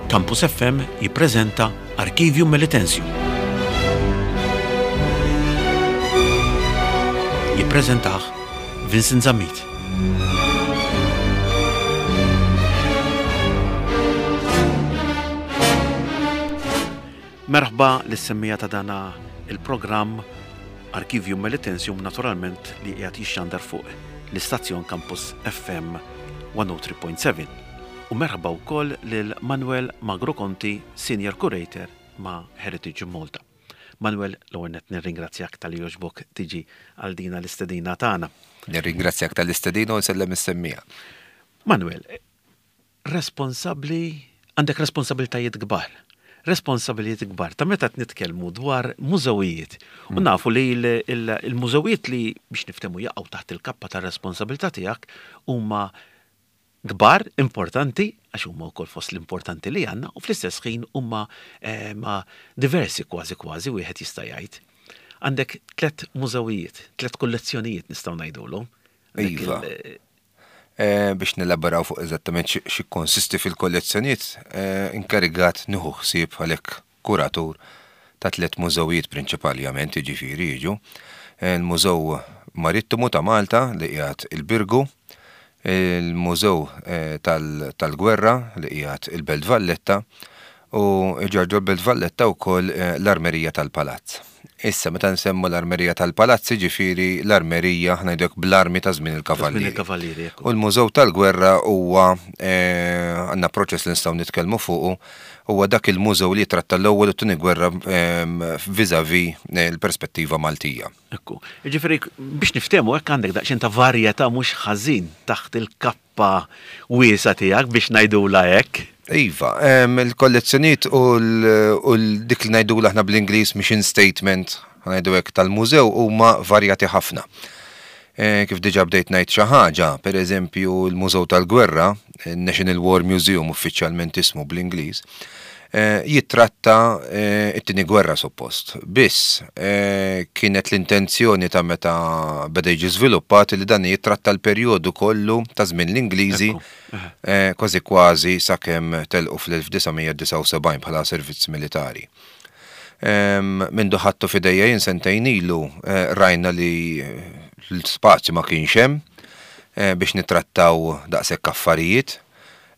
Campus FM jippreżenta Archivium Melitensium. Jippreżentah Vincent Zammit. Merħba lis-semmiegħa ta' dana il-programm Archivium Melitensium naturalment li qiegħed jixxandar fuq l-istazzjon Campus FM 103.7. U merħba wkoll lil Manuel Magro Conti, Senior Curator ma' Heritage Malta. Manuel, l-ewwel nett nirringrazzjak talli jogħġbok tiġi għal dina l-istedina tagħna. Nirringrazzjak tal-istedina u nsellem is-semmiegħa. Manuel, responsabbli, għandek responsabilitajiet kbar. Responsabilitajiet kbar ta' meta qed nitkellmu dwar mużewijiet. U nafu li l-mużewijiet li biex niftehmu jaqgħu taħt il-kappa tar-responsabilità tiegħek huma kbar, importanti, għax huma wkoll fost l-importanti li għandna, u fl-istess ħin huma diversi kważi kważi wieħed jista' jgħid. Għandek tlett mużewijiet, tlett kollezzjonijiet nistgħu ngħidulhom. Iva. Eh, biex nelaboraw fuq eżattament xi konsisti fil-kollezzjonijiet, eh, inkarigat nieħu ħsieb għalhekk kuratur ta' tliet mużewijiet prinċipaljament, jiġifieri jiġu il-Mużew Marittimu ta' Malta li qiegħed il-Birgu, il-Mużew eh, tal-Gwerra li qiegħed il-Belt Valletta u ġorġo l-Belt Valletta wkoll l-Armerija tal-Palazz. Issa, meta nsemmu l-Armerija tal-Palazz, jiġifieri l-armerija, aħna ngħidu hekk, bl-armi ta' żmien il-Kavallieri. Il-Kavallieri, ekku. U l-Mużew tal-Gwerra huwa, għandna proċess li nistgħu nitkellmu fuqu, huwa dak il-mużew li jitratta l-Ewwel u t-Tieni Gwerra vis-à-vis l-perspettiva Maltija. Ekku. Jiġifieri, biex niftehmu hekk għandek daqsxejn ta' varjetà mhux ħażin taħt il-kappa pa wiesgħa tiegħek biex ngħidulha hekk. Iva, il-kollezzjonijiet u dik li ngħidulha aħna bl-Ingliż mission statement, ħa ngħidu hekk, tal-mużew huma varjati ħafna. Kif diġà bdejt ngħid xi ħaġa, pereżempju l-Mużew tal-Gwerra, National War Museum uffiċjalment ismu bl-Ingliż, jittratta t-Tieni Gwerra suppost. Biss, kienet l-intenzjoni ta' meta beda jiġi żviluppat li dan jittratta l-perjodu kollu ta' żmien l-Ingliżi kważi kważi sakemm telqu fl-1979 bħala servizz militari. Mindu ħadtu f'idejja jien sentejn ilu rajna li l-spazju ma kienx hemm biex nittrattaw daqshekk affarijiet.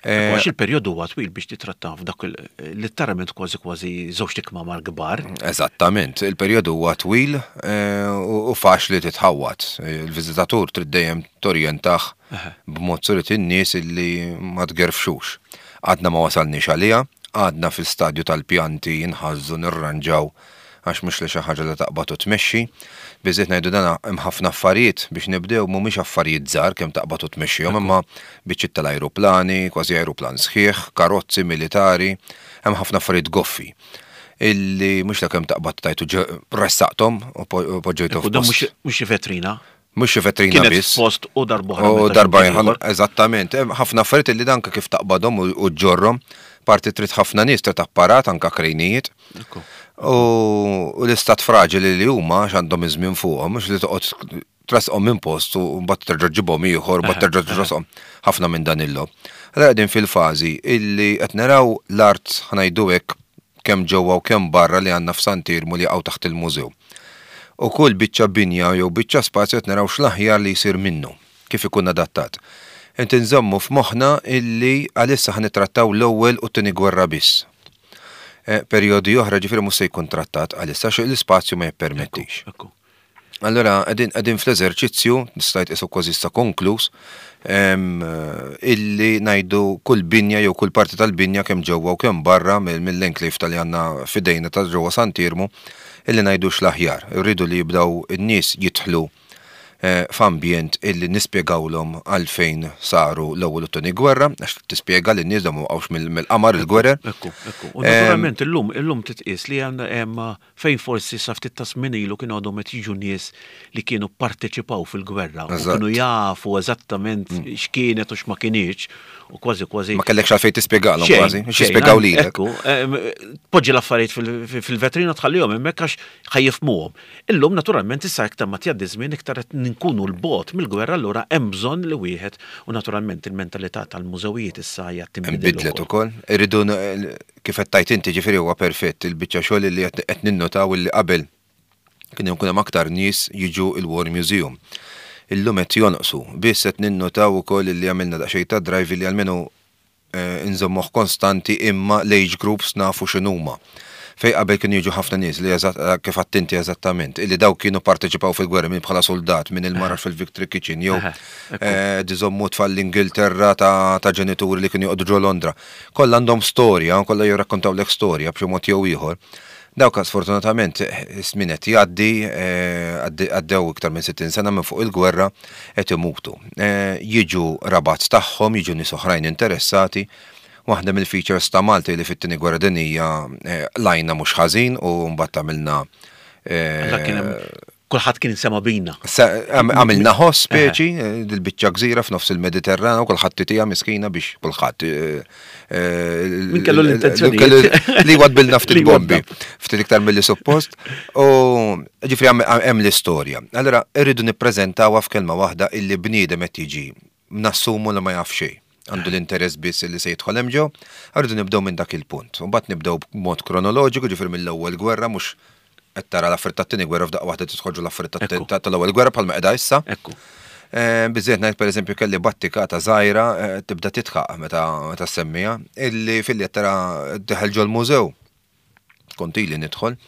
Għax il-perjodu huwa twil biex titratta f'dak litteralment kważi kważi żewġt ikmamar kbar. Eżattament, il-perjodu huwa twil u faċli titħawwad. Il-viżitatur trid dejjem torjentah b'mod surit in-nies illi ma tgerfxux. Għadna ma wasalniex għaliha, għadna fil-stadju tal-pjanti nħażżu nirranġaw għax mhux li xi ħaġa li taqbad u tmexxi. Biżżejjed ngħidu dan hemm ħafna affarijiet biex nibdew mhumiex affarijiet żgħar kemm taqbad u tmexxihom imma biċċiet tal-ajruplani, kważi ajruplan sħiħ, karozzi militari, hemm ħafna affarijiet goffi illi mhux la kemm taqbad tgħid u ressaqthom u poġġejthom f'post. Mhux xi vetrina. Mhux xi vetrina biss. Kienet f'post u darb'oħra. U darba eżattament. Hemm ħafna affarijiet li danka kif taqbadhom u ġġorrhom, parti trid ħafna nies, trid apparat, anka krejnijiet. U l-istat fraġili li huma għax għandhom iż-żmien fuqhom, mhux li toqgħod tressqhom minn post u mbagħad terġa' ġġibhom ieħor, mbagħad terġa' tressqhom ħafna minn dan il-logħob. Allura qegħdin fil-fażi illi qed naraw l-art ħa ngħidu hekk kemm ġewwa u kemm barra li għandna f'Sant'Iermu li jaqgħu taħt il-mużew. U kull biċċa binja jew biċċa spazju qed naraw x'l-aħjar li jsir minnu, kif ikun adattat. Qed inżommu f'moħħna illi għalissa ħa nittrattaw l-Ewwel u t-Tieni Gwerra biss. Perjodi oħra ġifieri mhux se jkun trattat għalissa għax l-ispazju ma jippermettix. Allura qegħdin qegħdin fl-eżerċizzju, nista' ngħid qisu kważi issa konkluż, illi ngħidu kull binja jew kull parti tal-binja kemm ġewwa u kemm barra mill-enclave tal-li għandna f'idejna ta' ġewwa Sant'Iermu, illi ngħidu x'l-aħjar. Irridu li jibdew in-nies jidħlu f'ambjent illi nispjegawlhom għalfejn saru l-Ewwel u t-Tieni Gwerra, għax tispjega lin-nies dawn ma waqgħux mill-qamar il-gwerer. Ekku, ekku. U naturalment illum illum titqies li hemm fejn forsi sa ftit ta' żmien ilu kienu għadhom qed jiġu nies li kienu pparteċipaw fil-gwerra u kienu jafu eżattament x'kienet u x'ma kinitx u kważi kważi. Ma kellekx għalfejn tispjegalhom kważi, biex jispjegaw lilek. Ekku, tpoġġi l-affarijiet fil-vetrina tħallihom hemmhekk għax ħa jifhmuhom. Illum naturalment issa iktar ma tgħaddi żmien iktar qed. inkunu 'l bogħod mill-gwerra allura hemm bżonn li wieħed u naturalment il-mentalità tal-mużewijiet issa hija tinbidel Inbidlet ukoll. Irridu kif qed tgħid inti ġifieri huwa perfett il-biċċa xogħol li qed ninnutaw illi qabel kien ikun hemm aktar nies jiġu il-War Museum. Illum qed jonqsu. Biss qed ninnutaw ukoll illi għamilna daqsxejn ta' drive illi almenu nżommuh konstanti imma l-age groups nafu x'inhuma. Fejn qabel kienu jiġu ħafna nies li eżatt kif għedt inti eżattament, illi dawk kienu pparteċipaw fil-gwerra min bħala suldat, min il-mara fil-Victory Kitchen jew iżommu tfal l-Ingilterra ta' ġenituri li kienu joqogħdu ġo Londra. Kollha għandhom storja, kollha jirrakkontawlek storja b'xi mod jew ieħor. Dawk sfortunatament is-żmien qed jgħaddi, għaddew iktar minn 60 sena minn fuq il-gwerra, qed imutu. Jiġu qrabat tagħhom, jiġu nies oħrajn interessati. Waħda mill-features ta' Malta li fit-Tieni Gwerra Dinjija qlajna mhux ħażin u mbagħad għamilna Kulħadd kien sema bina. Għamilna ħoss speċi, dil-biċċa gżira f'nofs il-Mediterran u kulħadd titija miskina biex kulħadd. Min kellu l-intenzjoni. Li wadbilna ftit bombi, ftit iktar milli suppost. U ġifri hemm l-istorja. Allora irridu nippreżentawha f'kelma waħda illi bniedem qed jiġi nassumu li ma jaf xejn. Għandu l-interess biss li se jidħol hemm ġew, rridu nibdew minn dak il-punt. U mbagħad nibdew b'mod kronoloġiku, ġifieri mill-ewwel gwerra mhux qed tara l-affarijiet tat-tieni gwerra f'daqqa waħda tidħol ġo l-affarijiet tal-ewwel gwerra bħalma qiegħda issa. Ekku. Biżżejjed ngħid pereżempju kelli battikata żgħira tibda tidħaq meta ssemmiha, illi filli qed tara dieħel ġol-mużew. Kont ili nidħol,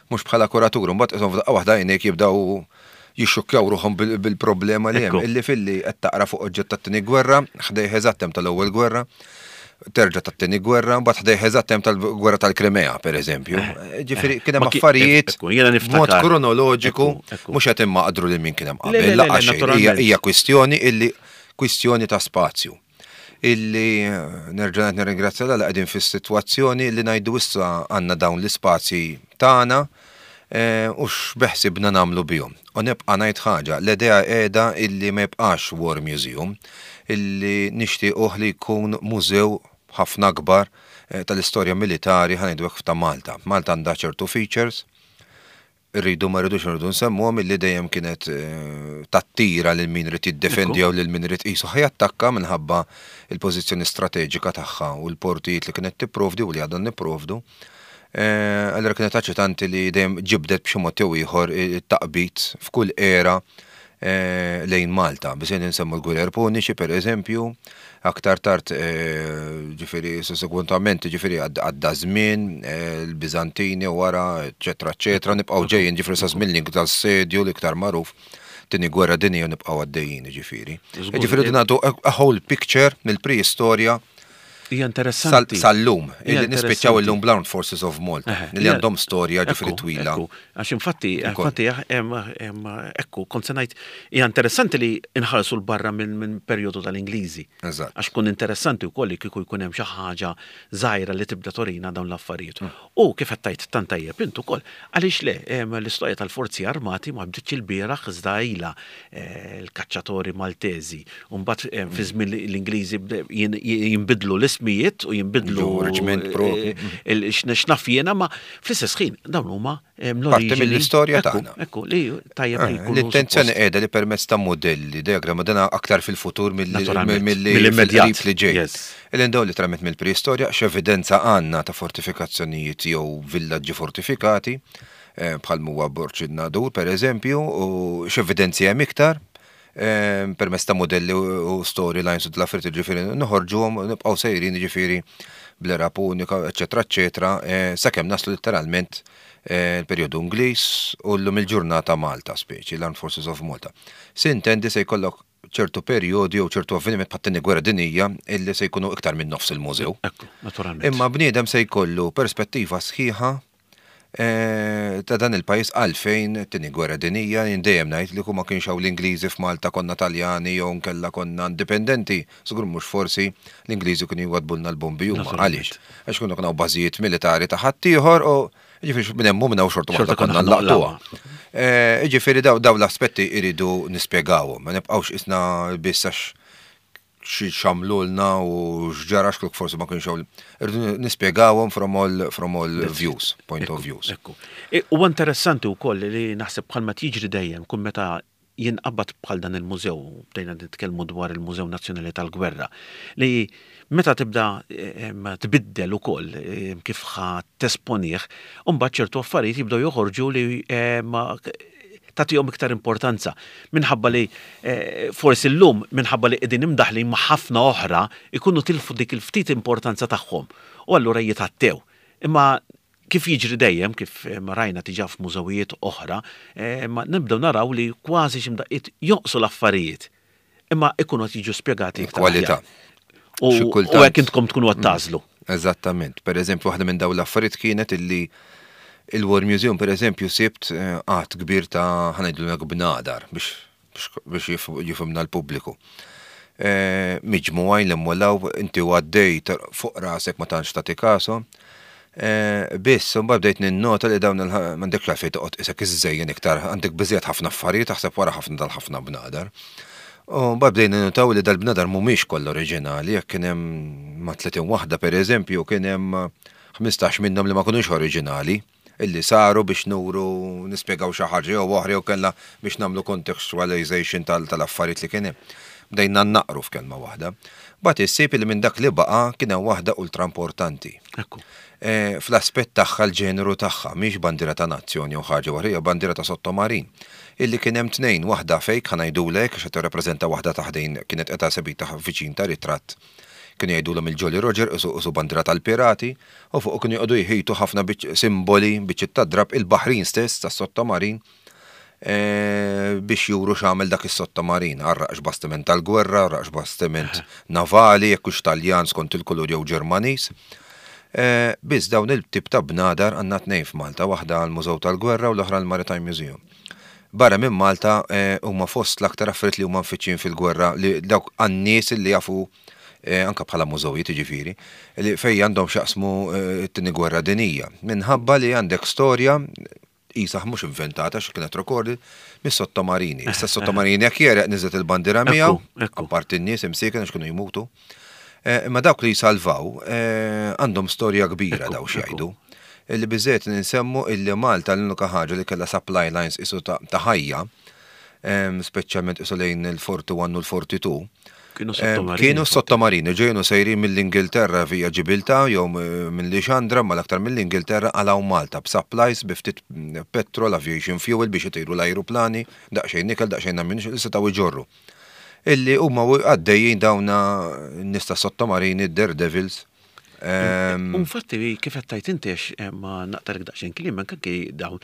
mhux bħala kuratur, imbagħad qishom f'daqqa waħda għajnejk jibdew jixxukkjaw ruħhom bil-problema li hemm. Illi filli qed taqra fuq oġġett tat-Tieni Gwerra, ħdejh eżatt hemm tal-Ewwel Gwerra, terġa' tat-Tieni Gwerra, mbagħad ħdejh eżatt hemm tal-Gwerra tal-Krimea, pereżempju. Ġifieri kien hemm affarijiet b'mod kronoloġiku mhux qed immaqdru lil min kien hemm qabel, lanqas xejn. Hija kwistjoni illi kwistjoni ta' spazju. Illi nerġa' ngħid nirringrazzja 'l Alla qegħdin fis-sitwazzjoni li ngħidu issa għandna dawn l-ispazji tagħna u x'beħsibna nagħmlu bihom. U nibqa' ngħid ħaġa, l-idea qiegħda illi ma jibqax War Museum, illi nixtiequh li jkun mużew ħafna akbar tal-istorja militari ħa ngħidu hekk ta' Malta. Malta għandha ċertu features, Irridu ma rridux irridu nsemmuhom illi dejjem kienet tattira lil min irid jiddefendi jew lil min irid qisu ħa jattakka minħabba l-pożizzjoni strateġika tagħha u l-portijiet li kienet tipprovdi u li għadna nipprovdu. Allura kienet aċitanti li dejjem ġibdet b'xi mod jew ieħor it-taqbid f'kull era lejn Malta. Biżejjed insemmu l-Gwerer Puniċi per eżempju, aktar tard ġifieri sussegwentament ġifieri għadda żmien, il-Biżantini wara, eċetera, eċetera, nibqgħu ġejjin ġifieri sa żmien l tal-Sedju l-iktar magħruf, tieni gwerra dinjija nibqgħu għaddejjin ġifieri. Ġifieri nagħtu a whole picture mill-preistorja Hija interessanti. Sal-lum, illi nispiċċaw illum bl-Armed Forces of Malta, li għandhom storja ġifieri twila. Għax infatti, infatti, ekku, kont se ngħid, hija interessanti li nħarsu 'l barra minn perjodu tal-Ingliżi. Għax kun interessanti wkoll li kieku jkun hemm xi ħaġa żgħira li tibda turina dawn l-affarijiet. U kif qed tgħid tant tajjeb int ukoll, għaliex le, l-istorja tal-Forzi Armati ma bdietx ilbieraħ iżda ilha l-kaċċatori Maltesi. U mbagħad fi żmien l-Ingliżi jinbidlu l-ismijiet u jinbidlu reġiment propju. X'naf jiena ma fl-istess ħin dawn huma l-oriġini. Parti mill-istorja tagħna. Ekku, li tajjeb li jkunu. L-intenzjoni qiegħda li permezz ta' modelli, diagramma dana aktar fil-futur mill-immedjat li ġej. Il-indaw li tramet mill-preistorja x'evidenza għandna ta' fortifikazzjonijiet jew villaġġi fortifikati bħal huwa Borġ in-Nadur pereżempju, u x'evidenzi hemm iktar permezz ta' modelli u storylines u dl-affarijiet ġifieri noħorġuhom nibqgħu sejrin ġifieri bl-era punika, eċetera, eċetera, sakemm naslu letteralment il-perjodu Ingliż u llum il-ġurnata Malta speċi, l-Armed Forces of Malta. Sintendi se jkollok ċertu perjodi jew ċertu avveniment bħat-Tieni Gwerra Dinjija illi se jkunu iktar minn nofs il-mużew. Ekku, naturalment. Imma bniedem se jkollu perspettiva sħiħa ta' dan il-pajjiż għalfejn it-Tieni Gwerra Dinjija. Jien dejjem ngħid li kieku ma kienx hawn l-Ingliżi f'Malta konna Taljani jew nkella konna indipendenti, żgur mhux forsi l-Ingliżi kienu jwaddbulna l-bombi huma. Għaliex? Għax kienu hawn bażijiet militari ta' ħaddieħor u jiġifieri minn hemm u minn hawn xorta waħda konna nlaqtuha. Jiġifieri dawn l-aspetti jridu nispjegawhom, ma nibqgħux qisna biss għax x'għamlulna u x'ġara x'kluk forsi ma kienx hawn. Irridu nispjegawhom from all from all views, point of views. Ekku. Huwa interessanti wkoll li naħseb bħalma jiġri dejjem kull meta jinqabad bħal dan il-mużew, bdejna nitkellmu dwar il-Mużew Nazzjonali tal-Gwerra, li meta tibda tbiddel ukoll kif ħa tesponih, imbagħad ċertu affarijiet jibdew joħorġu li tagħtihom iktar importanza. Minħabba li forsi llum minħabba li qegħdin imdaħħlin ma' ħafna oħra jkunu tilfu dik il-ftit importanza tagħhom u allura jitgħattew. Imma kif jiġri dejjem, kif rajna diġà f'mużewijiet oħra, nibdew naraw li kważi xi mdaqqiet jonqsu l-affarijiet, imma ikunu qed jiġu spjegati iktar. Kwalità. U hekk intkom tkunu qed tagħżlu. Eżattament. Per eżempju, waħda minn dawn l-affarijiet kienet illi il-War Museum, per eżempju, sibt għadd kbir ta' ħa ngħidlu hekk bnadar biex biex jifhimna l-pubbliku. Miġmugħin li mmolaw inti u għaddej fuq rasek ma tantx tagħti kasu. Biss, imbagħad bdejt ninnota li dawn m'għandekx għalfejn toqgħod isek iżżejjen iktar, għandek biżejjed ħafna affarijiet taħseb wara ħafna dal-ħafna bnadar. U mbagħad bdejna ninnotaw li dal-bnadar mhumiex kollha oriġinali, jekk kien hemm ma' 30 waħda pereżempju, kien hemm 15 minnhom li ma kinux oriġinali. illi saru biex nuru, nispjegaw xi ħaġa jew oħra jew kellha biex nagħmlu contextualization tal-affarijiet li kien hemm. Bdejna nnaqqru f'kelma waħda. Mbagħad issib illi minn dak li baqa' kien hemm waħda ultra importanti. Ekku. Fl-aspett tagħha l-ġeneru tagħha, mhix bandiera ta' nazzjon jew ħaġa oħra, hija bandiera ta' sottomarin. Illi kien hemm tnejn, waħda fake ħa ngħidulek hekk għax qed tirrappreżenta waħda ta' ħdejn kienet qed esebita viċin ta' ritratt Kienu jgħidulhom il-Jolly Roger, qisu qisu bandiera tal-pirati, u fuqu kienu joqogħdu jħitu ħafna simboli, biċċiet ta' drapp, il-baħrin stess tas-sottomarin, biex juru x'għamel dak is-sottomarin. Għarraqx bastiment tal-gwerra, għarraqx bastiment navali, jekk hux Taljan skont il-kulur jew Ġermaniż. Biss dawn il-tip ta' bnadar għandna tnejn f'Malta, waħda għall-Mużew tal-Gwerra u l-oħra għall-Maritime Museum. Barra minn Malta huma fost l-aktar affarijiet li huma mfittxin fil-gwerra li dawk għan-nies li jafu anke bħala mużewijiet jiġifieri, li fejn għandhom x'jaqsmu t-Tieni Gwerra Dinjija. Minħabba li għandek storja qisha mhux inventata għax kienet recorded mis-sottomarini. Issa s-sottomarini jekk jegħreq niżlet il-bandiera miegħu, apparti n-nies imsieken għax kienu jmutu. Imma dawk li jsalvaw għandhom storja kbira daw x'jgħidu. Illi biżżejjed li nsemmu illi Malta l-unika ħaġa li kellha supply lines qisu ta' ħajja, speċjalment qisu lejn il-41 u l-42, Kienu sottomarini. Kienu sottomarini, ġejjin u sejrin mill-Ingilterra via Ġibiltà jew minn Lixandra, imma l-aktar mill-Ingilterra għal hawn Malta b'supplies bi ftit petrol, aviation fuel biex itiru l-ajruplani, daqsxejn ikel, daqsxejn ammunition li setgħu jġorru. Illi huma għaddejjin dawna n-nies tas-sottomarini, d-daredevils. U infatti kif qed tgħid inti għax ma naqtalek daqsxejn kliem anke dawn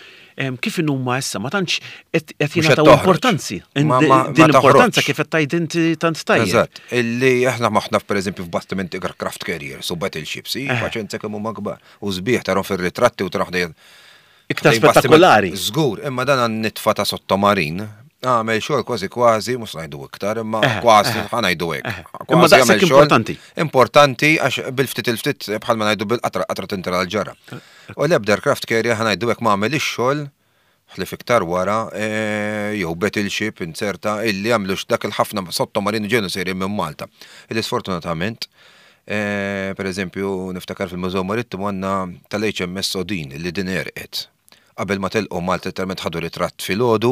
kif inhuma issa ma tantx qed jingħataw importanzi. Din l-importanza kif qed tgħid inti tant tajjeb. Eżatt, illi aħna maħna pereżempju f'bastimenti aircraft carriers u battleships, paċenza kemm huma kbar. U sbieħ tarhom fir-ritratti u tarahom Iktar spettakolari. Żgur, imma dan għan-nitfa ta' sottomarin għamel xogħol kważi kważi, mhux ngħidu iktar, imma eh, kważi eh. ħa ngħidu hekk. Eh. Imma daqshekk importanti. Importanti għax bil-ftit il-ftit bħalma ngħidu bil-qatra qatra tintra l-ġara. U l-ebda aircraft carrier ħa ngħidu hekk ma għamel ix-xogħol ħlif iktar wara jew battleship inzerta illi għamlu dak il-ħafna sottomarini ġenu sejrin minn Malta. Illi sfortunatament Per eżempju, niftakar fil-Mużew Marittimu għandna tal-HMS Odin li din għerqet. Qabel ma telqu Malta letteralment ħadu ritratt filgħodu,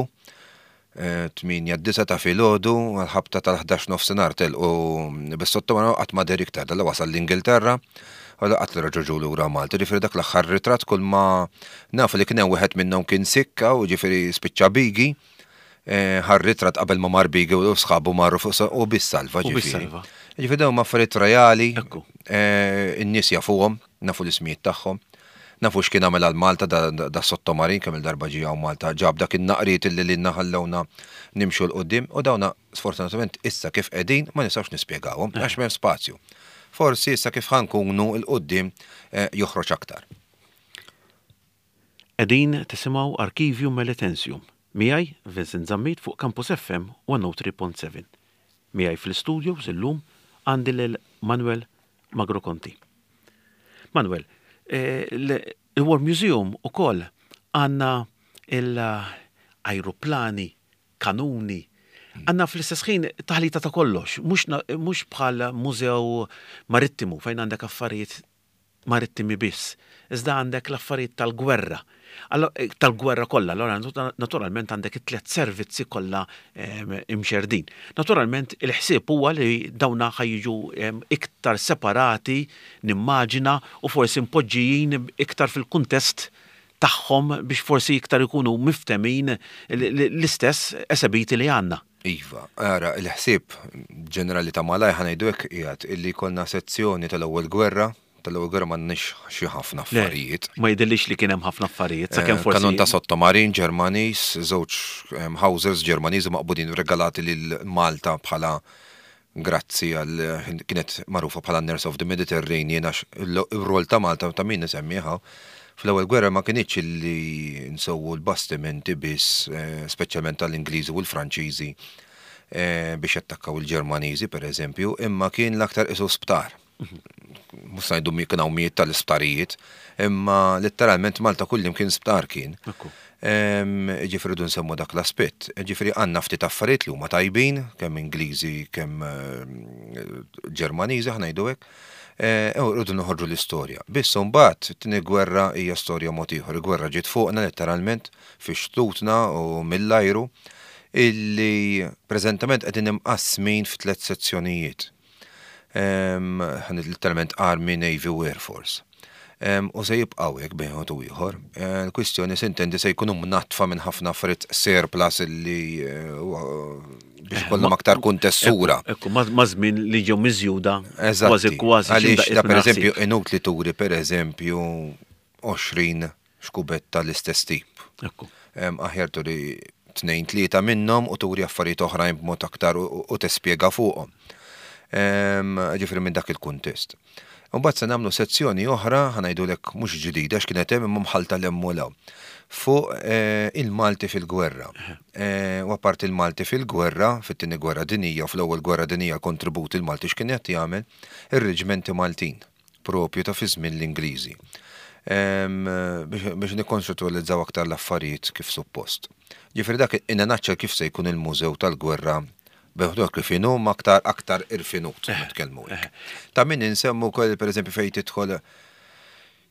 8 9 ta' filgħodu, għall-ħabta tal-11 nofsinhar telqu bis-sottomarin qatt ma deher iktar, dalla wasal l-Ingilterra u qatt li reġgħu ġew lura Malta. Ġifieri dak l-aħħar ritratt kull ma nafu li kien hemm wieħed minnhom kien sikka u ġifieri spiċċa bigi. Ħa r-ritratt qabel ma mar Bigi u sħabu marru fuq u biss salva ġifieri. Ġifieri dawn huma affarijiet reali, in-nies jafuhom, nafu l-ismijiet tagħhom, nafu x'kien għamel għal Malta da sottomarin kemm il-darba ġie hawn Malta ġab dak in-naqriet illi lilna ħallewna nimxu 'l quddiem u dawna sfortunatament issa kif qegħdin ma nistgħux nispjegawhom għax m'hemm spazju. Forsi issa kif ħa nkunu 'l quddiem joħroġ aktar. Qegħdin tisimgħu Archivium Melitensium, miegħi Vincent Zammit fuq Campus FM 103.7. Miegħi fl-istudios illum għandi lil Manuel Magro Conti. Manuel, il-War Museum ukoll għandna l-ajruplani, kanuni, għandna fl-istess ħin taħlita ta' kollox, mhux bħal mużew marittimu fejn għandek affarijiet marittimi biss, iżda għandek l-affarijiet tal-gwerra. Tal-gwerra kollha, allura naturalment għandek it-tliet servizzi kollha imxerdin. Naturalment il-ħsieb huwa li dawna ħa jiġu iktar separati, nimmaġina, u forsi mpoġġijin iktar fil-kuntest tagħhom biex forsi iktar ikunu miftemin l-istess esebiti li għandna. Iva, ara, il-ħsieb ġenerali ta' malajr ħa ngħidu hekk qiegħed illi jkollna sezzjoni tal-ewwel gwerra, tal-ewwel gwerra m'għandniex xi ħafna affarijiet. Ma jidhirlix li kien hemm ħafna affarijiet, sakemm forsi. Kanun ta' sottomarin Ġermaniż, żewġ Hausers Ġermaniżi maqbudin regalati lil Malta bħala grazzi għal kienet magħrufa bħala Nurse of the Mediterranean għax ir-rol ta' Malta ta' min isemmiha fl-ewwel gwerra ma kinitx illi nsewwu l-bastimenti biss, speċjalment tal-Ingliżi u l-Franċiżi biex jattakkaw il-Ġermaniżi pereżempju, imma kien l-aktar qisu sptar. Mhux se ngħidu kien hawn mijiet tal-isptarijiet, imma letteralment Malta kullimkien sptar kien. Ġifieri rridu nsemmu dak l-aspett. Ġifieri għandna ftit affarijiet li huma tajbin, kemm Ingliżi, kemm Ġermaniżi, ħa ngħidu hekk. U rridu noħorġu l-istorja. Biss imbagħad it-tieni gwerra hija storja mod ieħor. Il-gwerra ġiet fuqna letteralment fi xtutna u mill-ajru illi preżentament qegħdin imqassmin f'tliet sezzjonijiet. Literalment Army, Navy u Air Force. U se jibqgħu hekk bejn wieħed u ieħor. Il-kwistjoni se intendi se jkunu mnaddfa minn ħafna affarijiet surplus illi biex ikollhom aktar kuntessura. Ekku, ma' żmien li ġew miżjuda kważi kważi. Għaliex da pereżempju inutli turi pereżempju 20 xkubetta l-istess tip. Ekku. Aħjar turi tnejn tlieta minnhom u turi affarijiet oħrajn b'mod aktar u tispjega fuqhom. Ġifieri minn dak il-kuntest. Imbagħad se nagħmlu sezzjoni oħra, ħa ngħidulek mhux ġdida x'kienet hemm imma mħallta 'l hemm u 'l hawn, fuq il-Malti fil-gwerra. U apparti il-Malti fil-gwerra, fit-Tieni Gwerra Dinjija u fl-Ewwel Gwerra Dinjija l-kontribut il-Malti x'kien qed jagħmel, ir-reġmenti Maltin. Propju ta' fi żmien l-Ingliżi. Biex nikkonċettualizzaw aktar l-affarijiet kif suppost. Ġifieri dak in a nutshell kif se jkun il-Mużew tal-Gwerra beħduh kif inhu ma aktar aktar irfinut nitkellmu hekk. Ta' min insemmu wkoll pereżempju fejn tidħol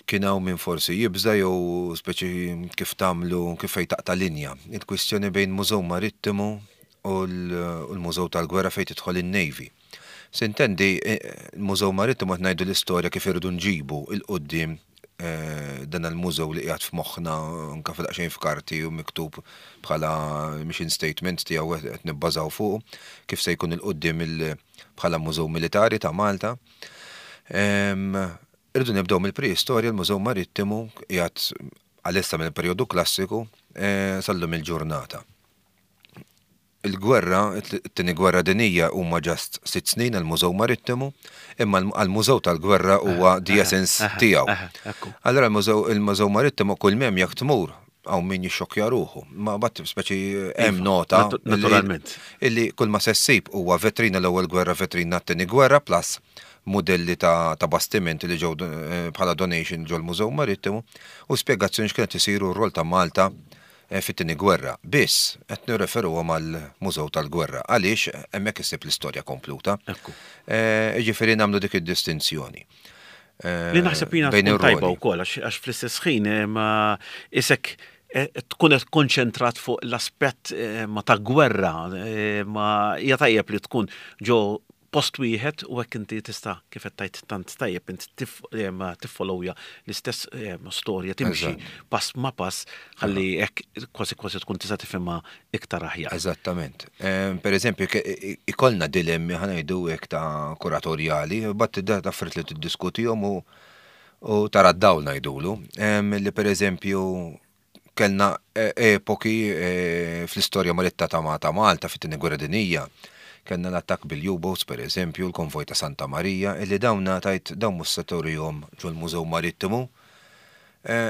kien hawn min forsi jibża' jew speċi kif tagħmlu kif fejn taqta' linja. Il-kwistjoni bejn Mużew Marittimu u l-Mużew tal-Gwerra fejn tidħol in-Navy. Sintendi, il-Mużew Marittimu qed ngħidu l-istorja kif irridu nġibu 'l quddiem dan il-mużew li qiegħed f'moħħna anke f'daqsxejn f'karti u miktub bħala mission statement tiegħu qed nibbażaw fuqu, kif se jkun 'il quddiem bħala Mużew Militari ta' Malta. Irridu nibdew mill-preistorja, l-Mużew Marittimu qiegħed għalissa mill-perjodu klassiku sal-lum il-ġurnata. Il-gwerra, it-Tieni Gwerra Dinjija huma just sitt snin għall-Mużew Marittimu, imma għall-Mużew tal-Gwerra huwa the essence tiegħu. Allura l-Mużew il-Mużew Marittimu kull m'hemm jekk tmur hawn min jixxokkja ruħu. Ma mbagħad speċi hemm nota Naturalment. illi kull ma se ssib huwa vetrina l-Ewwel Gwerra, vetrina t-Tieni Gwerra plus mudelli ta' ta' bastimenti li ġew bħala donation ġol-Mużew Marittimu u spjegazzjoni x'kien qed isir u r-rol ta' Malta fit-Tieni Gwerra. Biss, qed nirreferuhom għall-Mużew tal-Gwerra, għaliex hemmhekk issib l-istorja kompluta. Jiġifieri nagħmlu dik id-distinzjoni. Li naħseb jiena tkun tajba wkoll għax fl-istess ħin isek tkun qed konċentrat fuq l-aspett ma ta' gwerra ma hija tajjeb li tkun ġo post wieħed u hekk inti tista' kif qed tgħid tant tajjeb int tiffollowja l-istess storja timxi pass ma' pass ħalli hekk kważi kważi tkun tista' tifhimha iktar aħjar. Eżattament. Per eżempju, ikollna dilemmi ħa ngħidu hekk ta' kuratorjali, bat da affarijiet li tiddiskutihom u tara d-dawl ngħidulu. Li per eżempju Kellna epoki fl-istorja maritta ta' Malta fit-Tieni Gwerra Dinjija. Kellna l-attakk bil-U-boats, per eżempju, l-konvoj ta' Santa Marija, illi dawn tgħid dawn mhux se turihom ġol-Mużew Marittimu.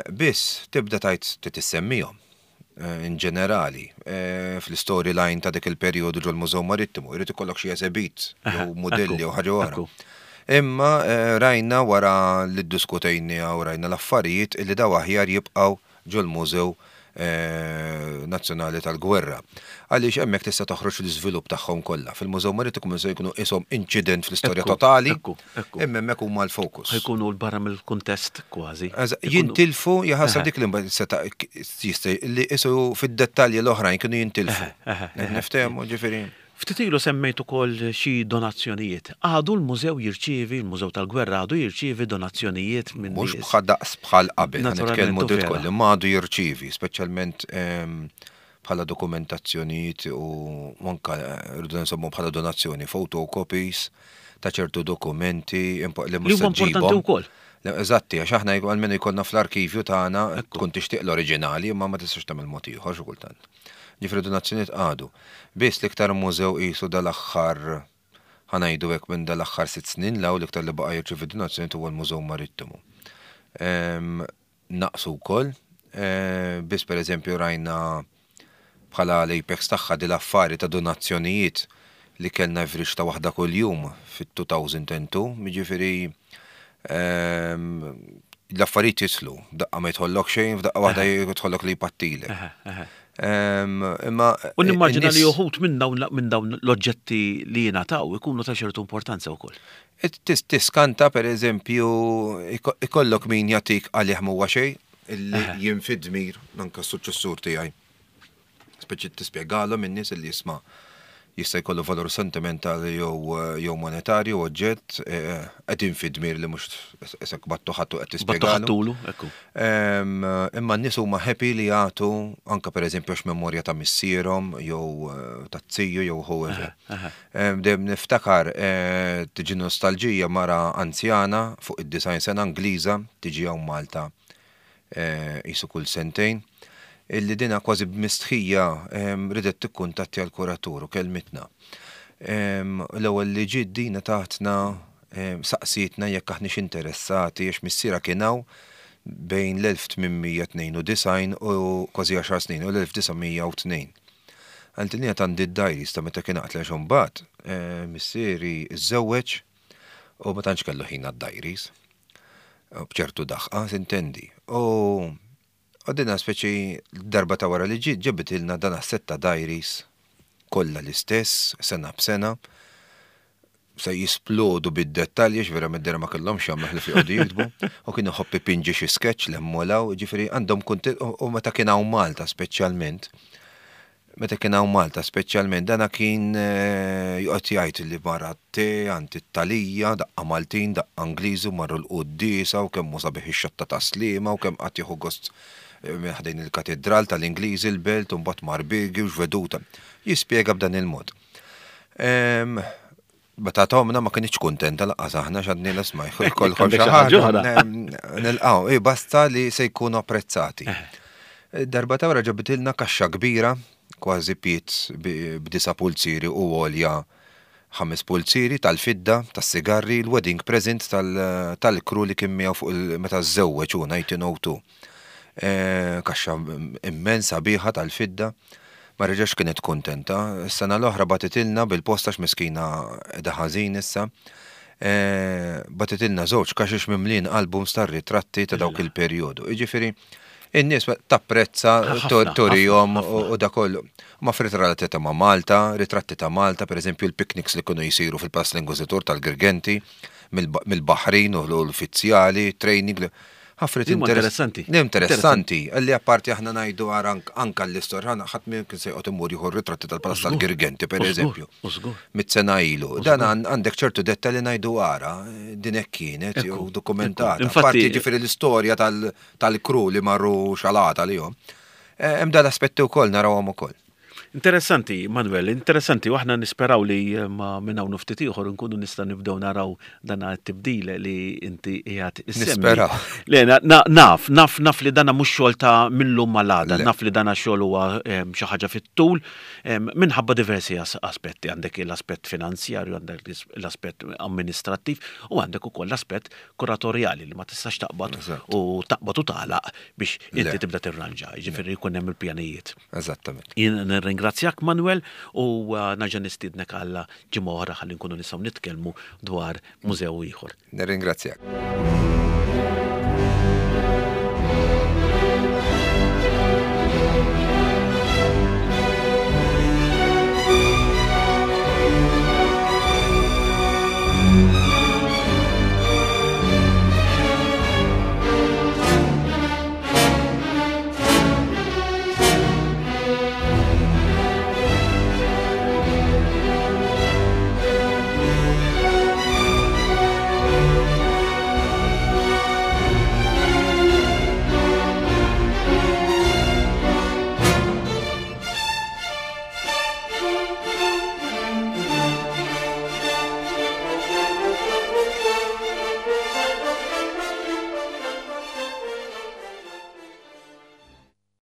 Biss tibda tgħid trid issemmihom in ġenerali fl-istory line ta' dik il-perjodu ġol-Mużew Marittimu. Irid ikollok xi esebit jew mudelli jew ħaġa oħra. Imma rajna wara li ddiskutejniha u rajna l-affarijiet illi dawn aħjar jibqgħu ġol-mużew Nazzjonali tal-Gwerra. Għaliex hemmhekk tista' toħroġ l-iżvilupp tagħhom kollha. Fil-Mużew Marittimu se jkunu qishom inċident fl-istorja totali, imma hemmhekk huma l-fokus. Ħa jkunu 'l barra mill-kuntest kważi. Jintilfu, jaħasra dik li mbagħad seta' jista' li qisu fid-dettalji l-oħrajn kienu jintilfu. Niftehmu ġifieri. Ftit ilu semmejt ukoll xi donazzjonijiet. Għadu l-mużew jirċievi, il-Mużew tal-Gwerra għadu jirċievi donazzjonijiet minn nies? Mhux bħal daqs bħal qabel, ħa nitkellmu dritt koll, imma għadu jirċievi, speċjalment bħala dokumentazzjonijiet u anke rridu nsemmu bħala donazzjoni, photocopies ta' ċertu dokumenti li mhux se ġġibhom. Li huma importanti wkoll. Eżatti, għax aħna almenu jkollna fl-arkivju tagħna tkun tixtieq l-oriġinali imma ma tistax tagħmel mod ieħor xi kultant. Ġifieri donazzjonijiet qagħdu. Biss l-iktar mużew qisu dal-aħħar, ħa ngħidu hekk minn dal-aħħar sitt snin 'l hawn l-iktar li baqa' jirċievi donazzjonijiet huwa l-Mużew Marittimu. Naqsu wkoll, biss pereżempju rajna bħala l-apex tagħha dil-affari ta' donazzjonijiet li kellna average ta' waħda kuljum fit-2002, jiġifieri l-affarijiet jidħlu, daqqa ma jidħollok xejn, f'daqqa waħda jidħollok li jpattilek. Imma. U nimmaġina li uħud minn dawn l-oġġetti li jingħataw ikunu ta' ċertu importanza wkoll. Tiskanta per eżempju, ikollok min jagħtik għalih m'huwa xejn, illi jien fid-dmir, anke s-suċċessur tiegħi. Speċi tispjegalhom in-nies li jisma' jista' jkollu valur sentimentali jew jew monetarju oġġett eh, qegħdin fi dmir li mhux isek battu ħattu qed tispjegalu. Battu ekku. Imma n-nies huma happy li jagħtu anke pereżempju għax memorja ta' missierhom jew eh, ta' ziju jew whoever. Dejjem niftakar eh, tiġi nostalġija mara anzjana fuq id-design sena Ingliża tiġi hawn Malta qisu kull sentejn, illi dina kważi b'mistħija ridet tikkuntattja l-kuratur u kellmitna. L-ewwel li ġiet dina tatna saqsietna jekk aħniex interessati għax missierha kien hawn bejn l-1892 u kważi għaxar snin u l-1902. Qaltilni għad għandi d-diaries ta' meta kien qatla għax imbagħad missieri żżewweġ u ma tantx kellu ħin għad-diaries. B'ċertu daħqa, sintendi. U għadina speċi darba ta' wara li ġiet ġabitilna dan sett ta' diaries kollha l-istess, sena b'sena, se jisplodu bid-dettalji, għax verament dera ma kellhomx jagħmlu ħlief joqogħdu jiktbu, u kien iħobb ipinġi xi sketch l-hemm u ġifieri għandhom kunti u meta kien hawn Malta speċjalment, Meta kien hawn Malta speċjalment dana kien joqgħod jgħid li mara te għand it-Talija, daqqa Maltin, daqqa Ingliżi u marru l-quddiesa u kemm hu sabiħ ix-xatta ta' Sliema u kemm qagħad jieħu gost minn ħdejn il-katidral tal-Ingliżi l-Belt u mbagħad mar Birgi u x'veduta. Jispjega b'dan il-mod. Meta tomna ma kinitx kuntenta laqqas aħna x'għadni l-isma' jkollkom xi ħaġa. Nilqgħu, i basta li se jkunu apprezzati. Darba ta' wara ġabitilna kaxxa kbira, kważi piet b'disa' pulzieri u għolja ħames pulzieri tal-fidda, tas-sigarri, l-wedding present tal-crew li kien miegħu fuq meta żżewweġ hu 1902. Kaxxa immens sabiħa tal-fidda. Ma reġgħetx kienet kuntenta. Is-sena l-oħra bagħtitilna bil-posta għax miskina qiegħda ħażin issa. Bagħtitilna żewġ kaxex mimlijin albums tar-ritratti ta' dawk il-perjodu. Jiġifieri, in-nies tapprezza turihom u dak kollu. Ma f'ritratti relatati ma' Malta, ritratti ta' Malta, pereżempju l-picnics li kienu jsiru fil-Palazz l-Inkwiżitur tal-Girgenti, mill-baħrin u l-uffizzjali, training. Ħafna interessanti. Interessanti, li apparti aħna ngħidu ara anka l-istorja, ħadd minn kien se joqgħod imur jieħu ritratti tal-Palazz tal-Girgenti pereżempju. Mit sena ilu. Dan għandek ċertu dettalji ngħidu ara din hekk kienet jew dokumentata. Infatti ġifieri l-istorja tal-kru li marru xalata li jom. Eh, hemm dan l-aspetti wkoll narawhom ukoll. Interessanti, Manuel, interessanti, u aħna nisperaw li eh, ma minn hawn ftit ieħor nkunu nista' nibdew naraw dan it-tibdil li inti qiegħed issemmi. Nisperaw. Le, naf, naf, naf li dana mhux xogħol ta' millum mal-għada, naf li dana xogħol huwa ehm, xi ħaġa fit-tul ehm, minħabba diversi aspetti, għandek l-aspett finanzjarju, għandek l-aspett amministrattiv u għandek ukoll l-aspett kuratorjali li ma tistax taqbad u taqbad u tagħlaq biex inti tibda tirranġa, jiġifieri jkun hemm il-pjanijiet. Eżattament. Jien nirringrazzjak Manuel u uh, naġa nistiednek għal ġimgħa oħra ħalli nkunu nistgħu nitkellmu dwar mużew ieħor. Nirringrazzjak.